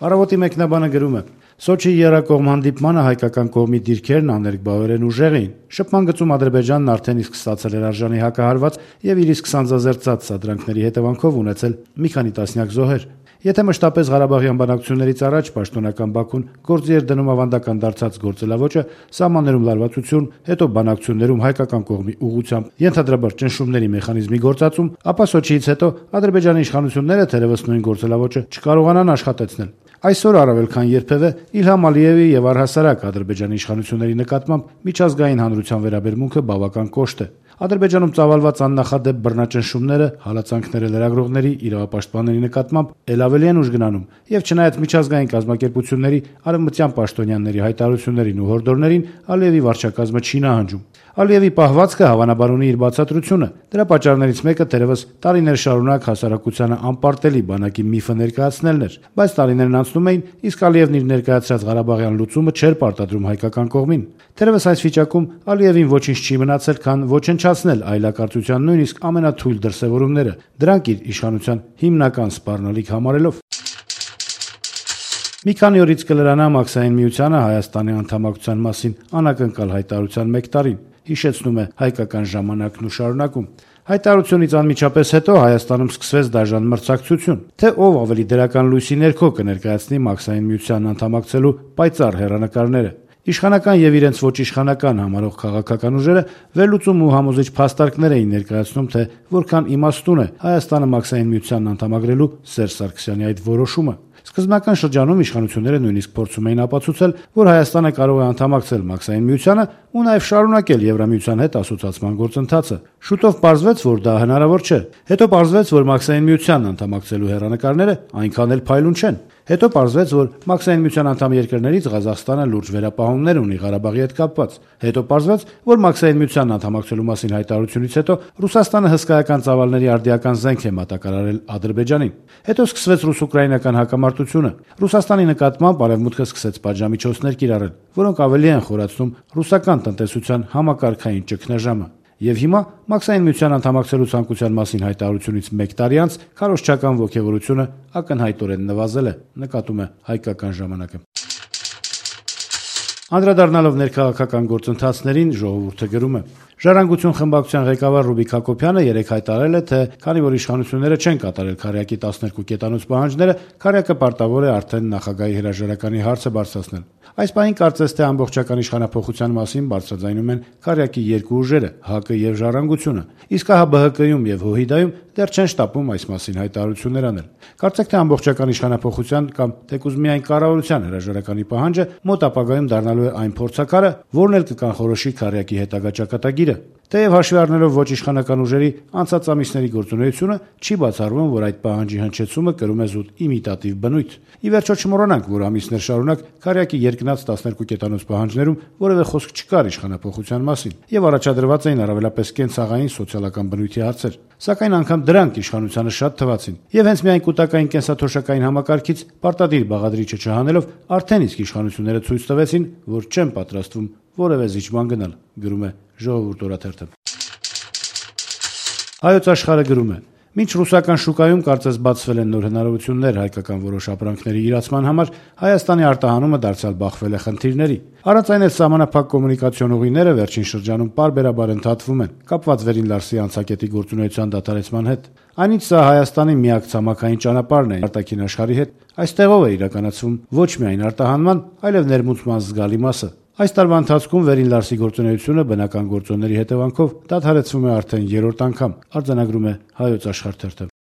Առավոտի մեկնաբանը գրում է. Սոչիի եռակողմ հանդիպմանը հայկական կողմի դիրքերն աներկբավերեն ուժեղ էին։ Շփման գծում Ադրբեջանն արդեն իսկ ստացել էր արժանի հակահարված եւ իր իսկ սանձազերծած սադրանքների հետևանքով ունեցել մի քանի տասնյակ զոհեր։ Եթե մշտապես Ղարաբաղյան բանակցություններից առաջ պաշտոնական Բաքուն գործի էր դնում ավանդական դարձած գործելավոճը սահմաններում լարվածություն, հետո բանակցություններում հայկական կողմի ուղղությամբ ենթադրաբար ճնշումների մեխանիզմի գործածում, ապա Սոչիից հետո Ադրբեջանի իշխանությունները թերևս նույն գործելավոճը չկարողանան աշխատեցնել։ Այսօր առավել քան երբևէ Իլհամ Ալիևի եւ առհասարակ Ադրբեջանի իշխանությունների նկատմամբ միջազգային հանրության վերաբերմունքը բավական կոշտ է։ Ադրբեջանում ծավալված աննախադեպ բռնաճնշումները, հալածանքները լրագրողների, իրավապաշտպանների նկատմամբ ել ավելի են ուժ գնանում, եւ չնայած միջազգային կազմակերպությունների արևմտյան պաշտոնյաների հայտարարություններին ու հորդորներին Ալիևի վարչակազմը չի նահանջում։ Ալիևի պահվածքը հավանաբար ունի իր բացատրությունը։ Դրա պատճառներից մեկը թերևս տարիներ շարունակ հասարակությանը անպարտելի բանակի միֆը ներկայացնելն էր, բայց տարիներն անցնում էին, իսկ Ալիևն իր ներկայացրած Ղարաբաղյան լուծումը չէր պարտադրում հայկական կողմին։ Թերևս այս վիճակում Ալիևին ոչինչ չի մնացել, քան ոչնչացնել այլակարծության նույնիսկ ամենաթույլ դրսևորումները, դրանք իր իշխանության հիմնական սպառնալիք համարելով։ Մի քանի օրից կլրանա Մաքսային միությանը Հայաստանի անդամակցության մասին անակնկալ հայտարարության 1 տարին, հիշեցնում է Հայկական ժամանակն ու շարունակում։ Հայտարարությունից անմիջապես հետո Հայաստանում սկսվեց դաժան մրցակցություն, թե ով ավելի դրական լույսի ներքո կներկայացնի Մաքսային միությանն անդամակցելու պայծառ հեռանկարները։ Իշխանական եւ իրենց ոչ իշխանական համարող քաղաքական ուժերը վերլուծում ու համոզիչ փաստարկներ էին ներկայացնում, թե որքան իմաստուն է Հայաստանը Մաքսային միությանն անդամագրելու Սերժ Սարգսյանի այդ որոշումը։ Սկզբնական շրջանում իշխանությունները նույնիսկ փորձում էին ապացուցել, որ Հայաստանը կարող է անդամակցել Մաքսային միությանը ու նաև շարունակել Եվրամիության հետ ասոցիացման գործընթացը։ Շուտով պարզվեց, որ դա հնարավոր չէ։ Հետո պարզվեց, որ Մաքսային միությանն անդամակցելու հեռանկարները այնքան էլ փայլուն չեն։ Հետո պարզվեց, որ Մաքսային միության անդամ երկրներից Ղազախստանը լուրջ վերապահումներ ունի Ղարաբաղի հետ կապված։ Հետո պարզվեց, որ Մաքսային միությանն անդամակցելու մասին հայտարարությունից հետո Ռուսաստանը հսկայական ծավալների արդիական զենք է մատակարարել Ադրբեջանին։ Հետո սկսվեց ռուս-ուկրաինական հակամարտությունը։ Ռուսաստանի նկատմամբ Արևմուտքը սկսեց պատժամիջոցներ կիրառել, որոնք ավելի են խորացնում ռուսական տնտեսության համակարգային ճգնաժամը։ Եվ հիմա Մաքսային միության անդամակցելու ցանկության մասին հայտարարությունից 1 տարի անց քարոզչական ոգևորությունը ակնհայտորեն նվազել է, նկատում է Հայկական ժամանակը։ Անդրադառնալով ներքաղաքական գործընթացներին ժողովուրդը գրում է. Ժառանգություն խմբակցության ղեկավար Ռուբիկ Հակոբյանը երեկ հայտարարել է, թե քանի որ իշխանությունները չեն կատարել քարյակի 12 կետանոց պահանջները, քարյակը պարտավոր է արդեն նախագահի հրաժարականի հարցը բարձրացնել։ Այս պահին կարծես թե ամբողջական իշխանափոխության մասին բարձրաձայնում են քարյակի երկու ուժերը՝ ՀԱԿ-ը եւ Ժառանգությունը, իսկ ահա ԲՀԿ-ում եւ ՀՅԴ-ում դեռ չեն շտապում այս մասին հայտարարություններ անել։ Կարծեք թե ամբողջական իշխանափոխության կամ թեկուզ միայն կառավարության հրաժարականի պահանջը մոտ ապագայում դառնալու է այն փորձակարը, որն էլ կկանխորոշի քարյակի հետագա ճակատագիրը։ Թեև հաշվի առնելով ոչ իշխանական ուժերի անցած ամիսների գործունեությունը, չի բացառվում, որ այդ պահանջի հնչեցումը կրում է զուտ իմիտատիվ բնույթ։ Ի վերջո չմոռանանք, որ ամիսներ շարունակ քարյակի երկնած 12 կետանոց պահանջներում որևէ խոսք չկար իշխանափոխության մասին, եւ առաջադրված էին առավելապես կենցաղային սոցիալական բնույթի հարցեր։ Սակայն անգամ դրանք իշխանությանը շատ թվացին, եւ հենց միայն կൂട്ടակային կենսաթոշակային համակարգից պարտադիր բաղադրիչը չհանելով արդեն իսկ իշխանությունները ցույց տվեցին, որ չեն պատրաստվում որևէ զիջման գնալ, գրում է Ժողովուրդ օրաթերթը։ Հայոց աշխարհը գրում է. Մինչ ռուսական շուկայում կարծես բացվել են նոր հնարավորություններ հայկական որոշ ապրանքների իրացման համար, Հայաստանի արտահանումը դարձյալ բախվել է խնդիրների։ Առանց այն էլ սահմանափակ կոմունիկացիոն ուղիները վերջին շրջանում պարբերաբար ընդհատվում են, կապված Վերին Լարսի անցակետի գործունեության դադարեցման հետ։ Այնինչ սա Հայաստանի միակ ցամաքային ճանապարհն է արտաքին աշխարհի հետ, այստեղով է իրականացվում ոչ միայն արտահանման, այլև ներմուծման զգալի մասը։ Այս տարվա ընթացքում Վերին Լարսի գործունեությունը բնական գործոնների հետևանքով դադարեցվում է արդեն 3-րդ անգամ, արձանագրում է Հայոց աշխարհ թերթը։